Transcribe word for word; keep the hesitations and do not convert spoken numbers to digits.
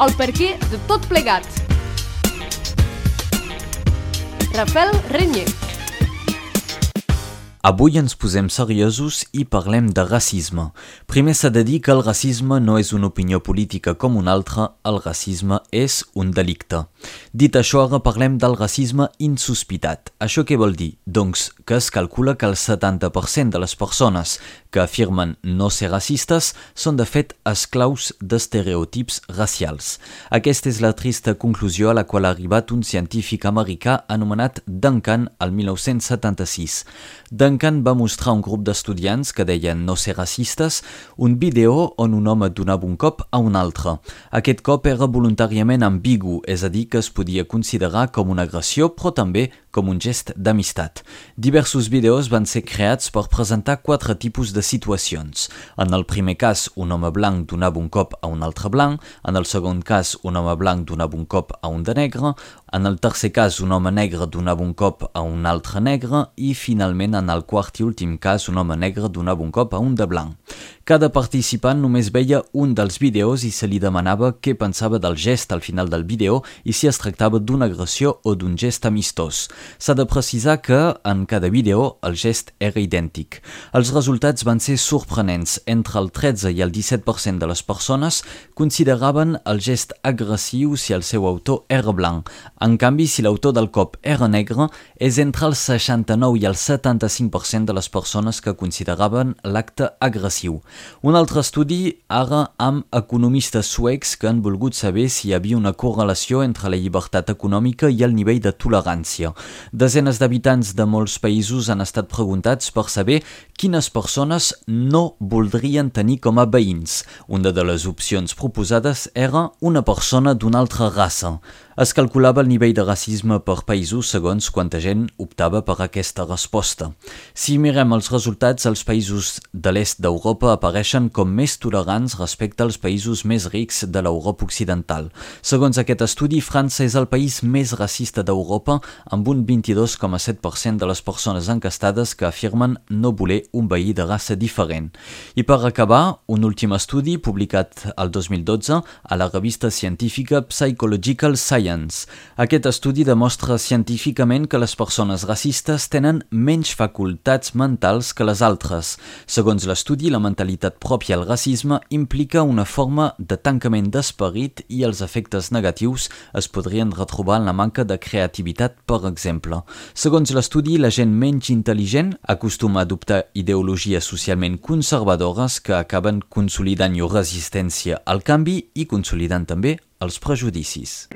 el perquè de tot plegat. Rafael Renyer. Avui ens posem seriosos i parlem de racisme. Primer s'ha de dir que el racisme no és una opinió política com una altra, el racisme és un delicte. Dit això, ara parlem del racisme insospitat. Això què vol dir? Doncs que es calcula que el setanta per cent de les persones que afirmen no ser racistes són de fet esclaus d'estereotips racials. Aquesta és la trista conclusió a la qual ha arribat un científic americà anomenat Duncan el mil nou-cents setanta-sis. Duncan va mostrar a un grup d'estudiants que deien no ser racistes un vídeo on un home donava un cop a un altre. Aquest cop era voluntàriament ambigu, és a dir, que es podia considerar com una agressió, però també com un gest d'amistat. Diversos vídeos van ser creats per presentar quatre tipus de situacions. En el primer cas, un home blanc donava un cop a un altre blanc, en el segon cas, un home blanc donava un cop a un de negre, en el tercer cas, un home negre donava un cop a un altre negre i, finalment, en el quart i últim cas, un home negre donava un cop a un de blanc. Cada participant només veia un dels vídeos i se li demanava què pensava del gest al final del vídeo i si es tractava d'una agressió o d'un gest amistós. S'ha de precisar que, en cada vídeo, el gest era idèntic. Els resultats van ser sorprenents. Entre el tretze i el disset per cent de les persones consideraven el gest agressiu si el seu autor era blanc. En canvi, si l'autor del cop era negre, és entre el seixanta-nou i el setanta-cinc per cent de les persones que consideraven l'acte agressiu. Un altre estudi, ara amb economistes suecs que han volgut saber si hi havia una correlació entre la llibertat econòmica i el nivell de tolerància. Desenes d'habitants de molts països han estat preguntats per saber quines persones no voldrien tenir com a veïns. Una de les opcions proposades era una persona d'una altra raça. Es calculava el nivell de racisme per països segons quanta gent optava per aquesta resposta. Si mirem els resultats, els països de l'est d'Europa apareixen com més tolerants respecte als països més rics de l'Europa occidental. Segons aquest estudi, França és el país més racista d'Europa, amb un vint-i-dos coma set per cent de les persones encastades que afirmen no voler un veí de raça diferent. I per acabar, un últim estudi publicat el dos mil dotze a la revista científica Psychological Science. Aquest estudi demostra científicament que les persones racistes tenen menys facultats mentals que les altres. Segons l'estudi, la mentalitat pròpia al racisme implica una forma de tancament d'esperit i els efectes negatius es podrien retrobar en la manca de creativitat, per exemple. Segons l'estudi, la gent menys intel·ligent acostuma a adoptar ideologies socialment conservadores que acaben consolidant llur resistència al canvi i consolidant també els prejudicis.